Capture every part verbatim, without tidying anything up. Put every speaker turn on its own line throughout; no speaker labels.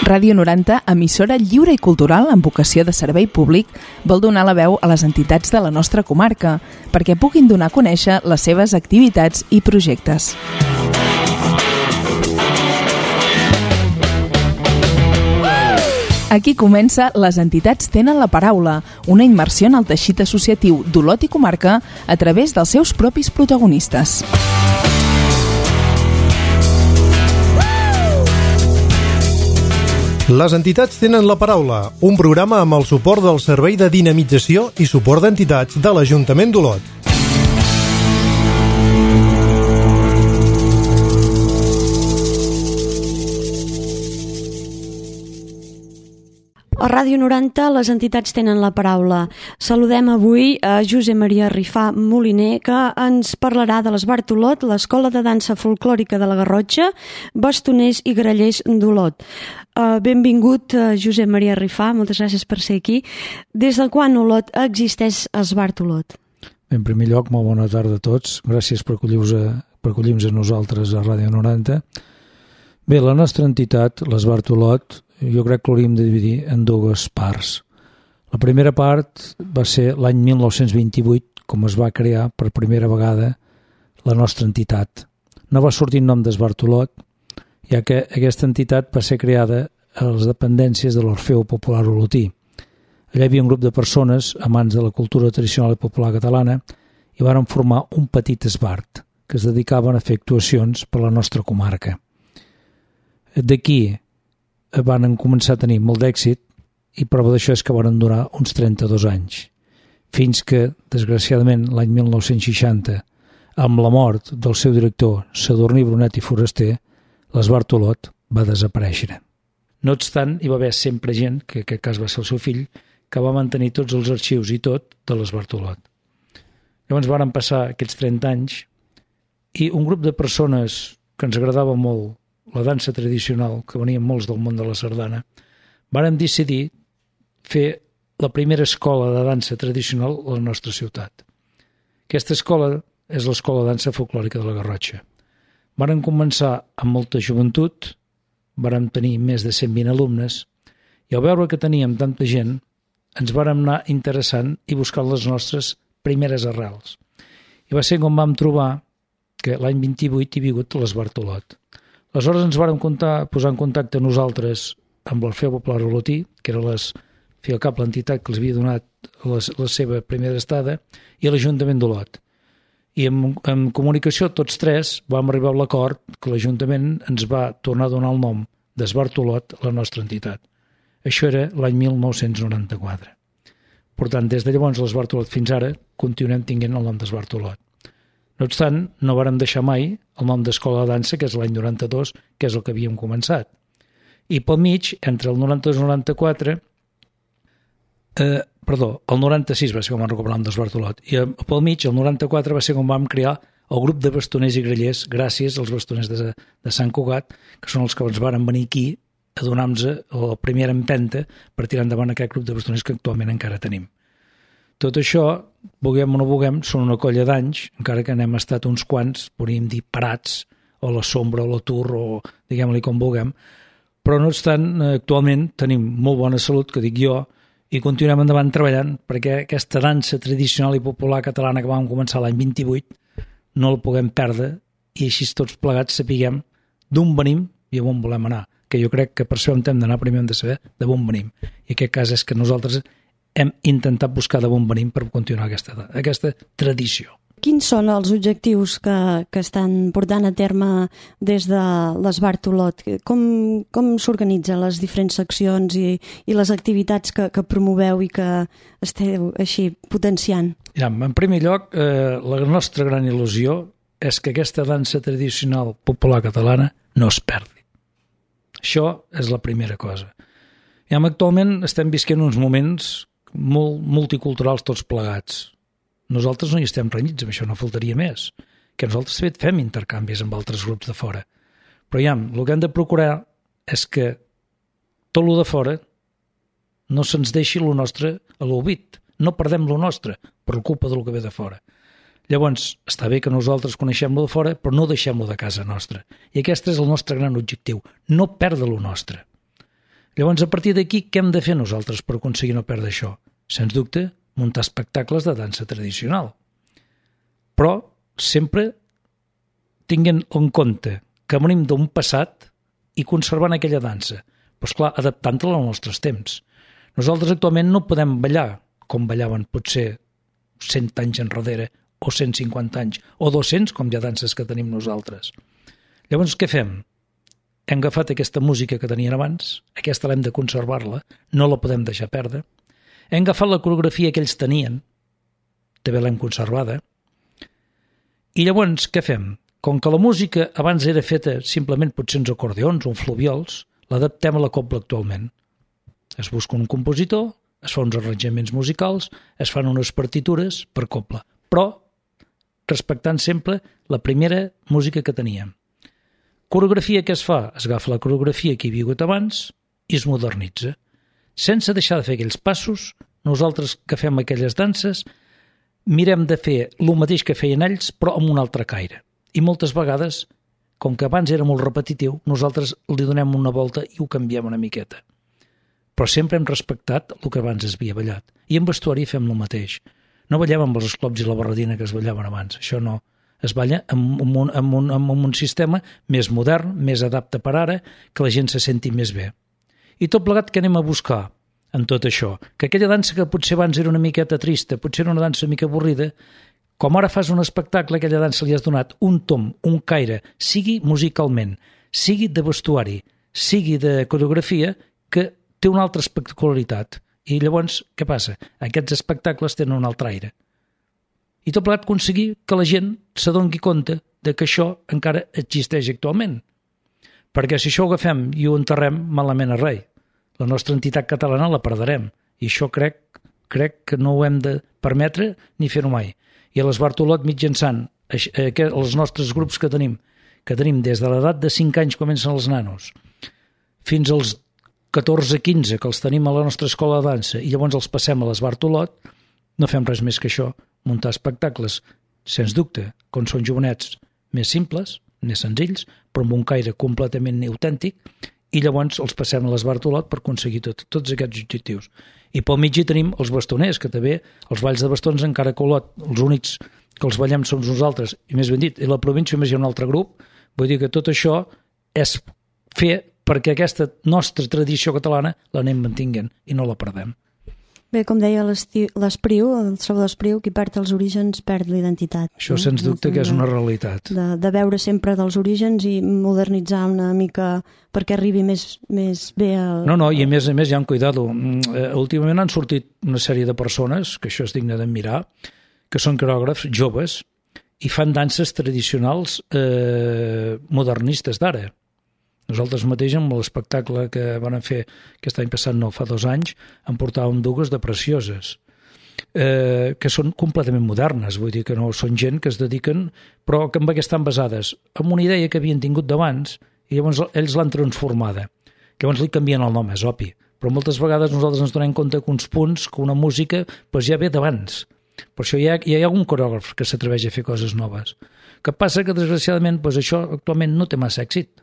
Ràdio noranta, emissora lliure i cultural amb vocació de servei públic, vol donar la veu a les entitats de la nostra comarca perquè puguin donar a conèixer les seves activitats i projectes. Aquí comença Les entitats tenen la paraula, una immersió en el teixit associatiu d'Olot i comarca a través dels seus propis protagonistes.
Les entitats tenen la paraula, un programa amb el suport del Servei de Dinamització i Suport d'Entitats de l'Ajuntament d'Olot.
A Ràdio noranta, les entitats tenen la paraula. Saludem avui a Josep Maria Rifà Moliner, que ens parlarà de l'Esbart Olot, l'Escola de Dansa Folclòrica de la Garrotxa, Bastoners i Grallers d'Olot. Uh, benvingut, uh, Josep Maria Rifà, moltes gràcies per ser aquí. Des de quan Olot existeix Esbart Olot?
En primer lloc, molt bona tarda a tots. Gràcies per acollir-nos a, per acollir-nos a nosaltres a Ràdio noranta. Bé, la nostra entitat, l'Esbart Olot, jo crec que l'hauríem de dividir en dues parts. La primera part va ser l'any mil nou-cents vint-i-vuit, com es va crear per primera vegada la nostra entitat. No va sortir el nom d'Esbart Olot, ja que aquesta entitat va ser creada a les dependències de l'Orfeu Popular Olotí. Allà hi havia un grup de persones amants de la cultura tradicional i popular catalana i varen formar un petit esbart que es dedicaven a fer actuacions per la nostra comarca. D'aquí van començar a tenir molt d'èxit i prova d'això és que van durar uns trenta-dos anys, fins que, desgraciadament, l'any mil nou-cents seixanta, amb la mort del seu director, Sadurní Brunet i Foraster, l'Esbart Olot va desaparèixer. No obstant, hi va haver sempre gent, que en aquest cas va ser el seu fill, que va mantenir tots els arxius i tot de l'Esbart Olot. Llavors varen passar aquests trenta anys i un grup de persones que ens agradava molt la dansa tradicional, que venien molts del món de la sardana, vàrem decidir fer la primera escola de dansa tradicional a la nostra ciutat. Aquesta escola és l'Escola de Dansa Folclòrica de la Garrotxa. Vàrem començar amb molta joventut, vàrem tenir més de cent vint alumnes, i al veure que teníem tanta gent, ens vàrem anar interessant i buscant les nostres primeres arrels. I va ser com vam trobar que l'any vint-i-vuit hi ha vingut l'Esbart Olot. Aleshores ens vàrem comptar, posar en contacte nosaltres amb l'Orfeu Popular Olotí, que era les, fi al cap l'entitat que els havia donat les, la seva primera estada, i l'Ajuntament d'Olot. I en, en comunicació tots tres vam arribar a l'acord que l'Ajuntament ens va tornar a donar el nom d'Esbart Olot a la nostra entitat. Això era l'any mil nou-cents noranta-quatre. Per tant, des de llavors l'Esbart Olot fins ara continuem tinguent el nom d'Esbart Olot. No obstant, no vàrem deixar mai el nom d'Escola de Dansa, que és l'any noranta-dos, que és el que havíem començat. I pel mig, entre el noranta-dos i el noranta-quatre, eh, perdó, el noranta-sis va ser quan vam recuperar el nom d'Esbart Olot, i pel mig, el noranta-quatre, va ser quan vam crear el grup de bastoners i grallers, gràcies als bastoners de, de Sant Cugat, que són els que ens varen venir aquí a donar-nos la primera empenta per tirar endavant aquest grup de bastoners que actualment encara tenim. Tot això, vulguem o no vulguem, són una colla d'anys, encara que n'hem estat uns quants, podríem dir parats, o la sombra, o l'atur, o diguem-li com vulguem, però no obstant, actualment tenim molt bona salut, que dic jo, i continuem endavant treballant perquè aquesta dansa tradicional i popular catalana que vam començar l'any vint-i-vuit no la puguem perdre i així tots plegats sapiguem d'on venim i on volem anar, que jo crec que per això hem d'anar primer hem de saber d'on venim, i aquest cas és que nosaltres hem intentat buscar d'on venim per continuar aquesta, aquesta tradició.
Quins són els objectius que, que estan portant a terme des de l'Esbart Olot? Com, com s'organitzen les diferents seccions i, i les activitats que, que promoveu i que esteu així potenciant?
Ja, en primer lloc, eh, la nostra gran il·lusió és que aquesta dansa tradicional popular catalana no es perdi. Això és la primera cosa. Ja, actualment estem visquent uns moments molt multiculturals tots plegats. Nosaltres no hi estem renyits, amb això no faltaria més, que nosaltres fet fem intercanvis amb altres grups de fora. Però ja, el que hem de procurar és que tot el de fora no se'ns deixi el nostre a l'oblit, no perdem el nostre per culpa del que ve de fora. Llavors, està bé que nosaltres coneixem-lo de fora, però no deixem-lo de casa nostra. I aquest és el nostre gran objectiu, no perdre lo nostre. Llavors, a partir d'aquí, què hem de fer nosaltres per aconseguir no perdre això? Sens dubte, muntar espectacles de dansa tradicional. Però sempre tinguin en compte que venim d'un passat i conservant aquella dansa. Però, esclar, adaptant-la als nostres temps. Nosaltres actualment no podem ballar com ballaven potser cent anys enrere, o cent cinquanta anys, o dos-cents, com hi ha danses que tenim nosaltres. Llavors, què fem? Hem agafat aquesta música que tenien abans, aquesta l'hem de conservar-la, no la podem deixar perdre. Hem agafat la coreografia que ells tenien, també l'hem conservada. I llavors, què fem? Com que la música abans era feta simplement potser uns acordeons o uns fluviols, l'adaptem a la cobla actualment. Es busca un compositor, es fa uns arranjaments musicals, es fan unes partitures per cobla, però respectant sempre la primera música que teníem. Coreografia que es fa? Es agafa la coreografia que hi ha hagut abans i es modernitza. Sense deixar de fer aquells passos, nosaltres que fem aquelles danses, mirem de fer el mateix que feien ells, però amb un altre caire. I moltes vegades, com que abans era molt repetitiu, nosaltres li donem una volta i ho canviem una miqueta. Però sempre hem respectat el que abans es havia ballat. I en vestuari fem el mateix. No ballem amb els esclops i la barretina que es ballaven abans, això no. Es balla amb un, amb, un, amb un sistema més modern, més adapte per ara, que la gent se senti més bé. I tot plegat que anem a buscar en tot això? Que aquella dansa que potser abans era una miqueta trista, potser era una dansa una mica avorrida, com ara fas un espectacle, aquella dansa li has donat un tom, un caire, sigui musicalment, sigui de vestuari, sigui de coreografia, que té una altra espectacularitat. I llavors, què passa? Aquests espectacles tenen un altre aire. I tot plegat aconseguir que la gent s'adoni compte de que això encara existeix actualment. Perquè si això ho agafem i ho enterrem, malament a rei. La nostra entitat catalana la perdrem. I això crec, crec que no ho hem de permetre ni fer-ho mai. I a l'Esbartolot, mitjançant els nostres grups que tenim, que tenim des de l'edat de cinc anys comencen els nanos, fins als catorze quinze que els tenim a la nostra escola de dansa i llavors els passem a l'Esbartolot, no fem res més que això, muntar espectacles, sens dubte, com són jovenets més simples, més senzills, però amb un caire completament autèntic, i llavors els passem a l'Esbartolot per aconseguir tot, tots aquests objectius. I pel mig hi tenim els bastoners, que també els balls de bastons encara que Olot, els únics que els ballem som nosaltres, i més ben dit, i la província més hi ha un altre grup, vull dir que tot això és fer perquè aquesta nostra tradició catalana l'anem mantinguent i no la perdem.
Bé, com deia l'Espriu, el Salvador Espriu, qui perd els orígens perd l'identitat.
Això no? Sens dubte que és una realitat.
De, de veure sempre dels orígens i modernitzar una mica perquè arribi més, més bé al...
No, no, i a més a més, ja han cuidat-ho. Últimament han sortit una sèrie de persones, que això és digne d'admirar, que són coreògrafs joves i fan danses tradicionals eh, modernistes d'ara. Nosaltres mateix, amb l'espectacle que van fer aquest any passat, no, fa dos anys, en portàvem dues de precioses, eh, que són completament modernes, vull dir que no són gent que es dediquen, però que amb estan basades en una idea que havien tingut d'abans i llavors ells l'han transformada. Llavors li canvien el nom, és obvi, però moltes vegades nosaltres ens donem compte que uns punts, que una música, doncs ja ve d'abans. Per això hi ha, hi ha algun coreògraf que s'atreveix a fer coses noves. Que passa que, desgraciadament, doncs això actualment no té massa èxit.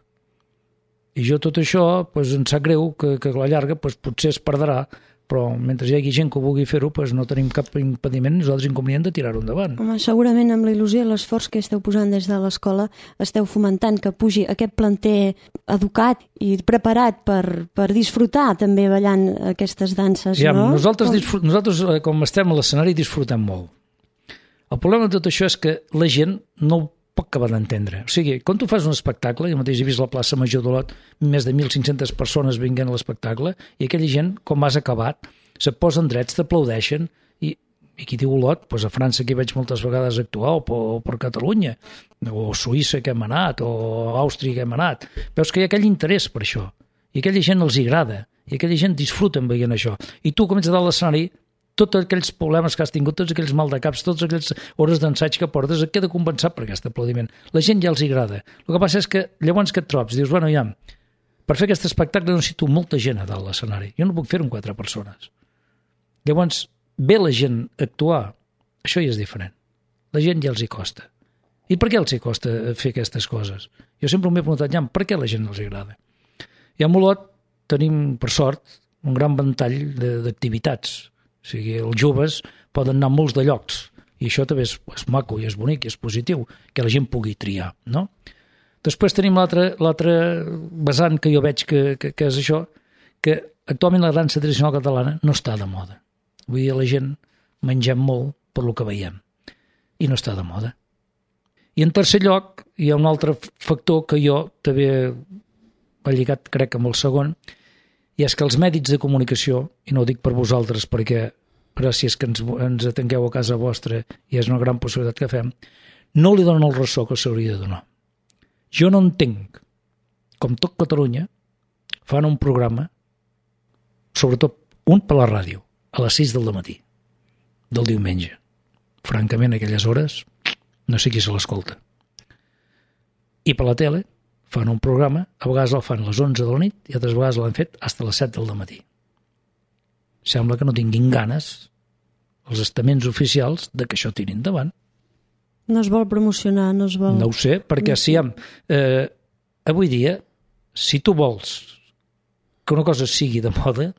I jo tot això doncs, em sap greu que, que a la llarga doncs, potser es perdrà, però mentre hi hagi gent que ho vulgui fer-ho doncs, no tenim cap impediment, nosaltres inconvenient de tirar-ho endavant.
Home, segurament amb la il·lusió i l'esforç que esteu posant des de l'escola esteu fomentant que pugi aquest planter educat i preparat per, per disfrutar també ballant aquestes danses,
ja,
no?
Nosaltres, com... Disfrut... nosaltres, com estem a l'escenari, disfrutem molt. El problema de tot això és que la gent no ho pot acabar d'entendre. O sigui, quan tu fas un espectacle, jo mateix he vist la plaça Major d'Olot, més de mil cinc-centes persones vinguent a l'espectacle, i aquella gent, com has acabat, se posen drets, t'aplaudeixen, i, i qui diu Olot, doncs a França que hi veig moltes vegades actuar, o per, o per Catalunya, o Suïssa que hem anat, o Àustria que hem anat. Veus que hi ha aquell interès per això, i aquella gent els agrada, i aquella gent disfruta veient això. I tu comences a dalt l'escenari, tots aquells problemes que has tingut, tots aquells mal de caps, totes aquelles hores d'ensaig que portes, et queda compensat per aquest aplaudiment. La gent ja els agrada. El que passa és que llavors que et trobes, dius, bueno, ja, per fer aquest espectacle necessito molta gent a dalt l'escenari. Jo no puc fer-ho amb quatre persones. Llavors, ve la gent a actuar, això ja és diferent. la gent ja els hi costa. I per què els hi costa fer aquestes coses? Jo sempre m'he preguntat, ja, per què a la gent els agrada? I a Molot tenim, per sort, un gran ventall d'activitats. O sigui, els joves poden anar a molts de llocs, i això també és, és maco i és bonic i és positiu, que la gent pugui triar, no? Després tenim l'altre vessant que jo veig que, que, que és això, que actualment la dansa tradicional catalana no està de moda. Vull dir, la gent mengem molt per lo que veiem, i no està de moda. I en tercer lloc, hi ha un altre factor que jo també he lligat, crec, amb el segon, i és que els mèdics de comunicació, i no ho dic per vosaltres perquè gràcies que ens, ens atengueu a casa vostra i és una gran possibilitat que fem, no li donen el ressò que s'hauria de donar. Jo no entenc com tot Catalunya fan un programa, sobretot un per la ràdio, a les sis del matí, del diumenge. Francament, a aquelles hores, no sé qui se l'escolta. I per la tele fan un programa, a vegades el fan a les onze de la nit i altres vegades l'han fet fins a les set del matí. Sembla que no tinguin ganes els estaments oficials de que això tirin endavant.
No es vol promocionar, no es vol...
No ho sé, perquè si hem... Eh, avui dia, si tu vols que una cosa sigui de moda,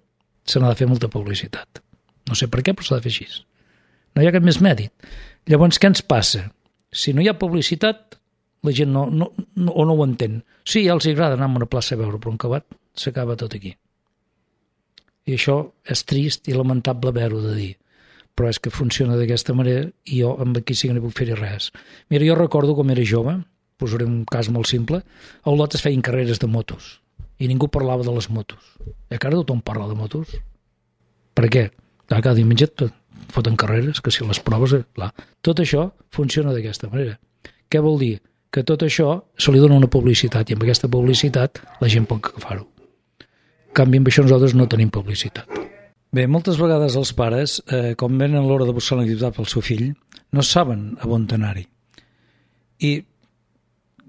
se n'ha de fer molta publicitat. No sé per què, però s'ha de fer així. No hi ha cap més mèrit. Llavors, què ens passa? Si no hi ha publicitat, la gent no, no, no, o no ho entén. Sí, ja els agrada anar a una plaça a veure, però un acabat s'acaba tot aquí. I això és trist i lamentable haver-ho de dir. Però és que funciona d'aquesta manera i jo amb aquí sí que no puc fer-hi res. Mira, jo recordo com era jove, posaré un cas molt simple, a Olot es feien carreres de motos i ningú parlava de les motos. I ara tothom parla de motos. Per què? Cada diumenge foten carreres, que si les proves... Clar. Tot això funciona d'aquesta manera. Què vol dir? Que tot això se li dona una publicitat i amb aquesta publicitat la gent pot agafar-ho. En canvi, amb això nosaltres no tenim publicitat. Bé, moltes vegades els pares, eh, quan venen a l'hora de buscar l'activitat pel seu fill, no saben a on anar-hi. I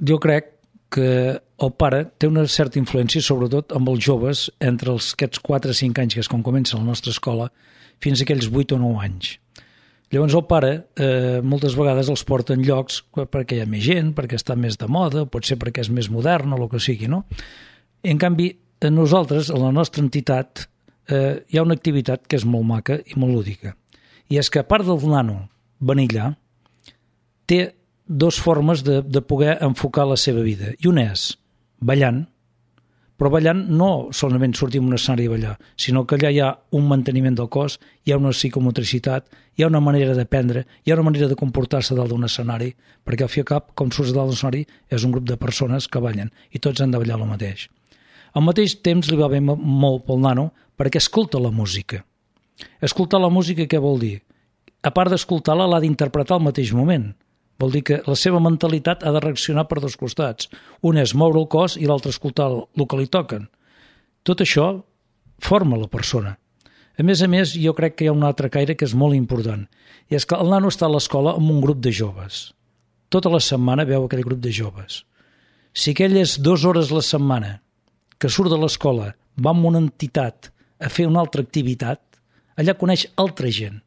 jo crec que el pare té una certa influència, sobretot amb els joves, entre els, aquests quatre o cinc anys, que és quan comença la nostra escola, fins a aquells vuit o nou anys. Llavors el pare eh, moltes vegades els porta en llocs perquè hi ha més gent, perquè està més de moda, pot ser perquè és més modern o el que sigui, no? I, en canvi, a nosaltres, a la nostra entitat, eh, hi ha una activitat que és molt maca i molt lúdica. I és que, a part del nano venir allà, té dues formes de, de poder enfocar la seva vida. I una és ballant, però ballant no solament sortir en un escenari a ballar, sinó que allà hi ha un manteniment del cos, hi ha una psicomotricitat, hi ha una manera d'aprendre, hi ha una manera de comportar-se dalt d'un escenari, perquè al fi i al cap, com surts dalt d'un escenari, és un grup de persones que ballen i tots han de ballar el mateix. Al mateix temps li va bé molt pel nano perquè escolta la música. Escoltar la música què vol dir? A part d'escoltar-la, l'ha d'interpretar al mateix moment. Vol dir que la seva mentalitat ha de reaccionar per dos costats. Un és moure el cos i l'altre escoltar el que li toquen. Tot això forma la persona. A més a més, jo crec que hi ha un altre caire que és molt important. I és que el nano està a l'escola amb un grup de joves. Tota la setmana veu aquell grup de joves. Si aquell és dues hores la setmana que surt de l'escola, va amb una entitat a fer una altra activitat, allà coneix altra gent.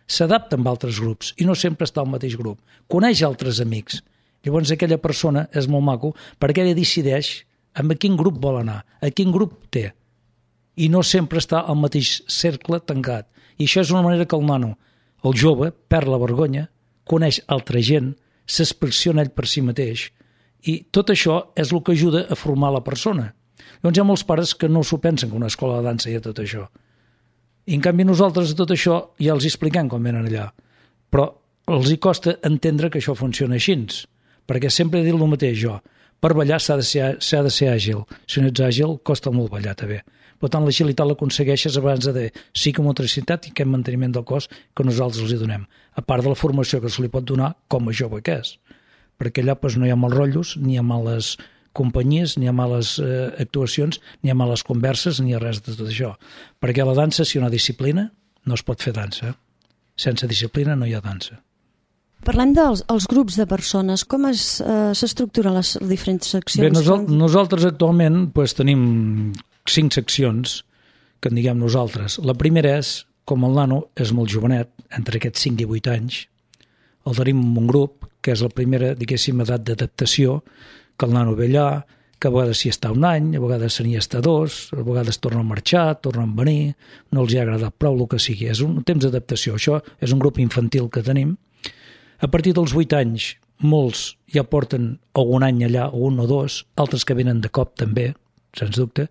S'adapta amb altres grups i no sempre està al mateix grup. Coneix altres amics. Llavors aquella persona és molt maco perquè ella decideix amb a quin grup vol anar, a quin grup té. I no sempre està al mateix cercle tancat. I això és una manera que el nano, el jove, perd la vergonya, coneix altra gent, s'expressiona ell per si mateix i tot això és el que ajuda a formar la persona. Llavors hi ha molts pares que no s'ho pensen que una escola de dansa hi ha tot això. I en canvi nosaltres tot això ja els expliquem quan venen allà. Però els hi costa entendre que això funciona així, perquè sempre he dit el mateix jo. Per ballar s'ha de ser, s'ha de ser àgil. Si no ets àgil, costa molt ballar també. Per tant, l'agilitat l'aconsegueixes abans de psicomotricitat i aquest manteniment del cos que nosaltres els hi donem. A part de la formació que se li pot donar com a jove que és. Perquè allà doncs, no hi ha mals rotllos, ni hi ha males companyies, ni hi ha males eh, actuacions, ni hi ha males converses, ni hi ha res de tot això. Perquè la dansa, si hi ha una disciplina, no es pot fer dansa. Sense disciplina no hi ha dansa.
Parlem dels els grups de persones. Com s'estructuren eh, les diferents seccions?
Bé, nosal nosaltres actualment pues, tenim cinc seccions que en diguem nosaltres. La primera és, com el nano és molt jovenet, entre aquests cinc i vuit anys, el tenim en un grup, que és la primera, diguéssim, edat d'adaptació, que el nano ve allà, que a vegades s'hi està un any, a vegades se n'hi està dos, a vegades torna a marxar, torna a venir, no els hi ha agradat prou, el que sigui. És un temps d'adaptació. Això és un grup infantil que tenim. A partir dels vuit anys, molts ja porten algun any allà, o un o dos, altres que venen de cop també, sens dubte.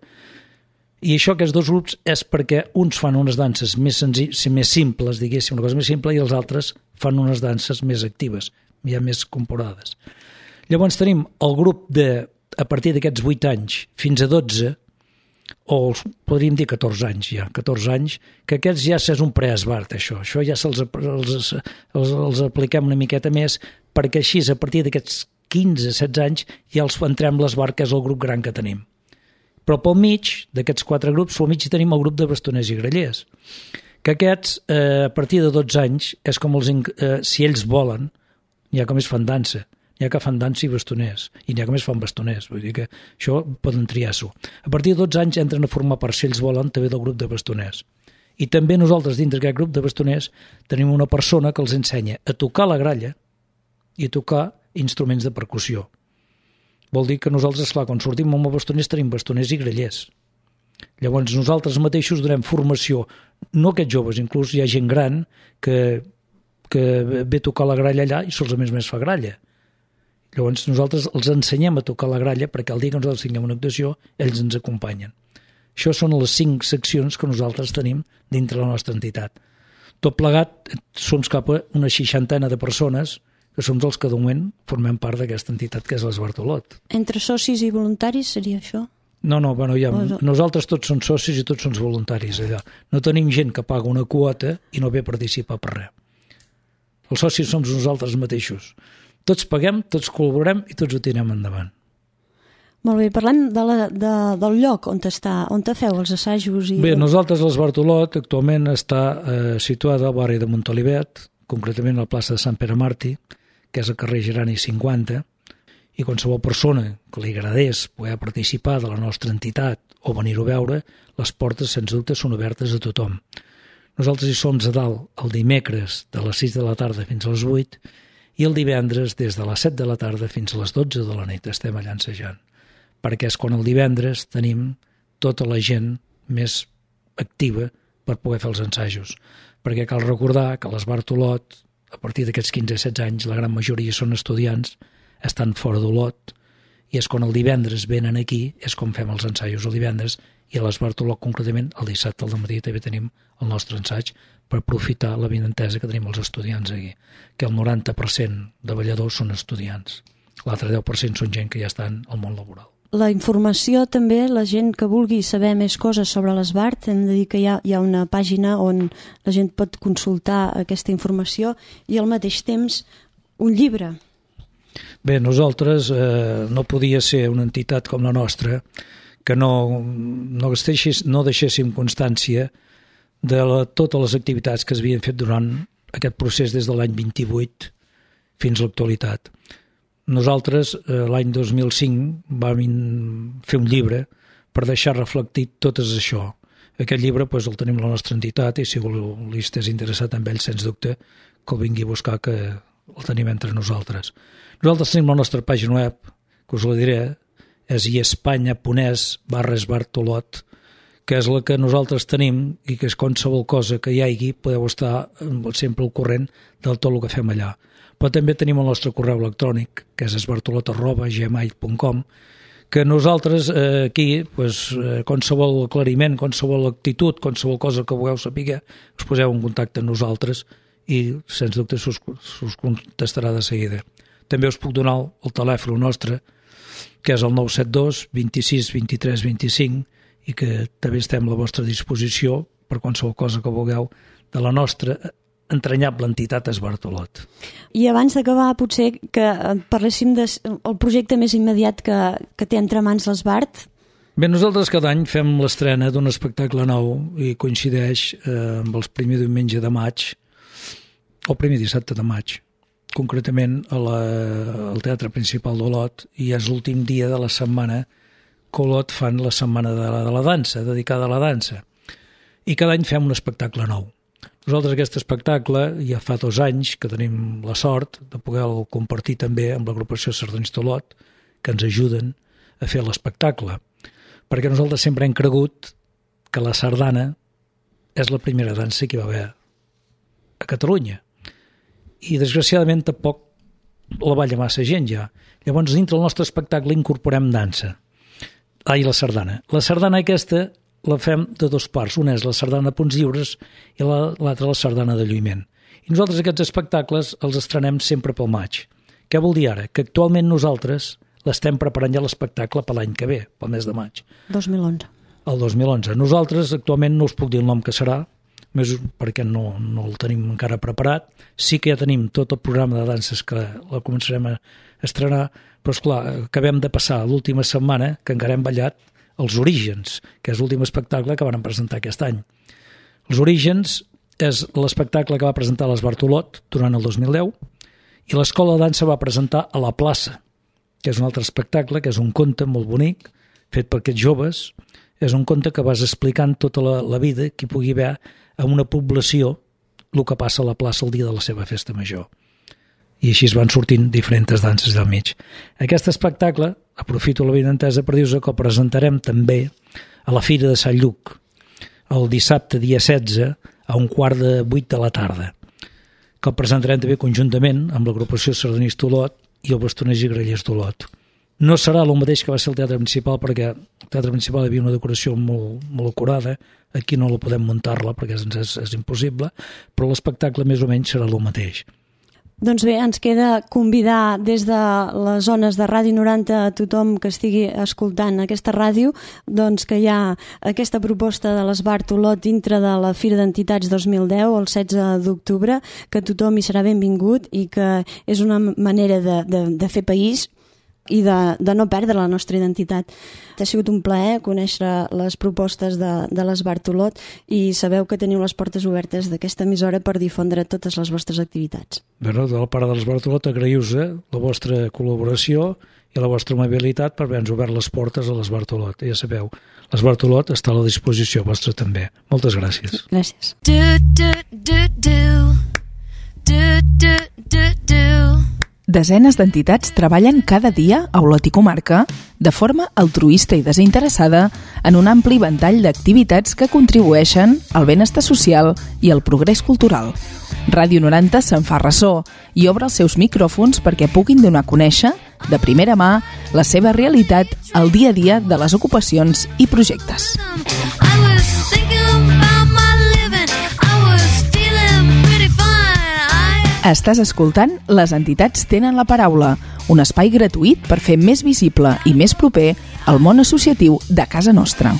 I això, aquests dos grups, és perquè uns fan unes danses més, més simples, diguéssim, una cosa més simple, i els altres fan unes danses més actives, ja més comporades. Llavors tenim el grup de, a partir d'aquests vuit anys fins a dotze, o podríem dir catorze anys ja, catorze anys, que aquests ja és un preesbart, això. Això ja se'ls els, els, els apliquem una miqueta més, perquè així, a partir d'aquests quinze setze anys, ja els entrem l'esbart, que és el grup gran que tenim. Però pel mig d'aquests quatre grups, pel mig tenim el grup de bastoners i grallers, que aquests, eh, a partir de dotze anys, és com els, eh, si ells volen, n'hi ha que més fan dansa, n'hi ha que fan dansa i bastoners, i n'hi ha que més fan bastoners, vull dir que això poden triar-s'ho. A partir de dotze anys entren a formar part, si ells volen, també del grup de bastoners. I també nosaltres, dintre d'aquest grup de bastoners, tenim una persona que els ensenya a tocar la gralla i a tocar instruments de percussió. Vol dir que nosaltres, esclar, quan sortim amb els bastoners, tenim bastoners i grallers. Llavors nosaltres mateixos donem formació, no aquests joves, inclús hi ha gent gran que, que ve a tocar la gralla allà i solament més fa gralla. Llavors nosaltres els ensenyem a tocar la gralla perquè el dia que nosaltres tinguem una actuació ells ens acompanyen. Això són les cinc seccions que nosaltres tenim dintre la nostra entitat. Tot plegat som cap a una seixantena de persones que som els que de moment formem part d'aquesta entitat que és l'Esbart Olot.
Entre socis i voluntaris seria això?
No, no, bueno, ja, nosaltres tots som socis i tots som voluntaris allà. No tenim gent que paga una quota i no ve a participar per res. Els socis som nosaltres mateixos. Tots paguem, tots col·laborem i tots ho tirem endavant.
Molt bé, parlem de la, de, del lloc on, està, on te feu els assajos. I...
Bé, nosaltres l'Esbart Olot actualment està eh, situada al barri de Montolivet, concretament a la plaça de Sant Pere Màrtir, que és al carrer Gerani cinquanta, i qualsevol persona que li agradés poder participar de la nostra entitat o venir-ho a veure, les portes, sens dubte, són obertes a tothom. Nosaltres hi som a dalt el dimecres de les sis de la tarda fins a les vuit, i el divendres des de les set de la tarda fins a les dotze de la nit estem allà ensejant, perquè és quan el divendres tenim tota la gent més activa per poder fer els ensajos, perquè cal recordar que l'Esbart Olot, a partir d'aquests quinze setze anys, la gran majoria són estudiants, estan fora d'Olot, i és quan el divendres venen aquí, és com fem els ensajos el divendres, i a l'Esbart Olot concretament el dissabte al matí també tenim el nostre ensaig per aprofitar la benentesa que tenim els estudiants aquí, que el noranta per cent de balladors són estudiants, l'altre deu per cent són gent que ja estan al món laboral.
La informació també, la gent que vulgui saber més coses sobre l'Esbart, hem de dir que hi ha, hi ha una pàgina on la gent pot consultar aquesta informació i al mateix temps un llibre.
Bé, nosaltres eh, no podia ser una entitat com la nostra que no, no, deixés, no deixéssim constància de la, totes les activitats que es havien fet durant aquest procés des de l'any vint-i-vuit fins a l'actualitat. Nosaltres, eh, l'any dos mil cinc, vam fer un llibre per deixar reflectit tot això. Aquest llibre pues, el tenim a la nostra entitat i si li estàs interessat en ell, sens dubte, que el vingui a buscar, que el tenim entre nosaltres. Nosaltres tenim la nostra pàgina web, que us la diré, és iespanya.es barra Esbart Olot, que és la que nosaltres tenim i que és qualsevol cosa que hi hagi podeu estar sempre al corrent de tot el que fem allà. Però també tenim el nostre correu electrònic, que és esbartolot arroba gmail punt com, que nosaltres eh, aquí, pues, eh, qualsevol aclariment, qualsevol actitud, qualsevol cosa que vulgueu saber, us poseu en contacte amb nosaltres i, sens dubte, s'us, s'us contestarà de seguida. També us puc donar el, el telèfon nostre, que és el nou set dos, vint-i-sis, vint-i-tres, vint-i-cinc, i que també estem a la vostra disposició per qualsevol cosa que vulgueu de la nostra entranyable entitat Esbart Olot.
I abans d'acabar, potser que parléssim del projecte més immediat que, que té entre mans l'Esbart.
Bé, nosaltres cada any fem l'estrena d'un espectacle nou i coincideix eh, amb el primer diumenge de maig, o el primer dissabte de maig, concretament a la, al Teatre Principal d'Olot, i és l'últim dia de la setmana que Olot fan la setmana de la, de la dansa, dedicada a la dansa. I cada any fem un espectacle nou. Nosaltres aquest espectacle ja fa dos anys que tenim la sort de poder-lo compartir també amb l'agrupació Sardanista Olot, que ens ajuden a fer l'espectacle, perquè nosaltres sempre hem cregut que la sardana és la primera dansa que hi va haver a Catalunya. I desgraciadament tampoc la balla massa gent ja. Llavors dintre del nostre espectacle incorporem dansa. Ai, la sardana. La sardana aquesta la fem de dos parts. Una és la sardana Punts Lliures i l'altra la sardana de Lluïment. I nosaltres aquests espectacles els estrenem sempre pel maig. Què vol dir ara? Que actualment nosaltres l'estem preparant ja l'espectacle per l'any que ve, pel mes de maig.
dos mil onze.
El dos mil onze. Nosaltres actualment no us puc dir el nom que serà, més perquè no, no el tenim encara preparat. Sí que ja tenim tot el programa de danses que la començarem a estrenar, però esclar, acabem de passar l'última setmana que encara hem ballat Els Orígens, que és l'últim espectacle que van presentar aquest any. Els Orígens és l'espectacle que va presentar l'Esbart Olot durant el dos mil deu i l'Escola de Dansa va presentar a la plaça, que és un altre espectacle, que és un conte molt bonic, fet per aquests joves. És un conte que vas explicant tota la, la vida que hi pugui haver a una població el que passa a la plaça el dia de la seva festa major. I així es van sortint diferents danses del mig. Aquest espectacle, aprofito la benentesa per dir-vos que el presentarem també a la Fira de Sant Lluc, el dissabte dia setze a un quart de vuit de la tarda, que el presentarem també conjuntament amb l'agrupació Sardanista Olot i el Bastoners i Grallers d'Olot. No serà el mateix que va ser el Teatre Principal, perquè el Teatre Principal hi havia una decoració molt, molt acurada, aquí no la podem muntar-la perquè és, és, és impossible, però l'espectacle més o menys serà el mateix.
Doncs bé, ens queda convidar des de les zones de Ràdio noranta a tothom que estigui escoltant aquesta ràdio, doncs que hi ha aquesta proposta de l'Esbart Olot dintre de la Fira d'Entitats dos mil deu, el setze d'octubre, que tothom hi serà benvingut i que és una manera de, de, de fer país i de, de no perdre la nostra identitat. Ha sigut un plaer conèixer les propostes de, de l'Esbart Olot i sabeu que teniu les portes obertes d'aquesta emissora per difondre totes les vostres activitats.
Bé, no, de la part de l'Esbart Olot agraïu-vos la vostra col·laboració i la vostra amabilitat per haver-nos obert les portes a l'Esbart Olot. Ja sabeu, l'Esbart Olot està a la disposició vostra també. Moltes gràcies.
Gràcies.
Do, do, do, do. Do, do, do, do.
Desenes d'entitats treballen cada dia a Olot i comarca de forma altruista i desinteressada en un ampli ventall d'activitats que contribueixen al benestar social i al progrés cultural. Ràdio noranta se'n fa ressò i obre els seus micròfons perquè puguin donar a conèixer, de primera mà, la seva realitat al dia a dia de les ocupacions i projectes. Estàs escoltant Les entitats tenen la paraula, un espai gratuït per fer més visible i més proper el món associatiu de casa nostra.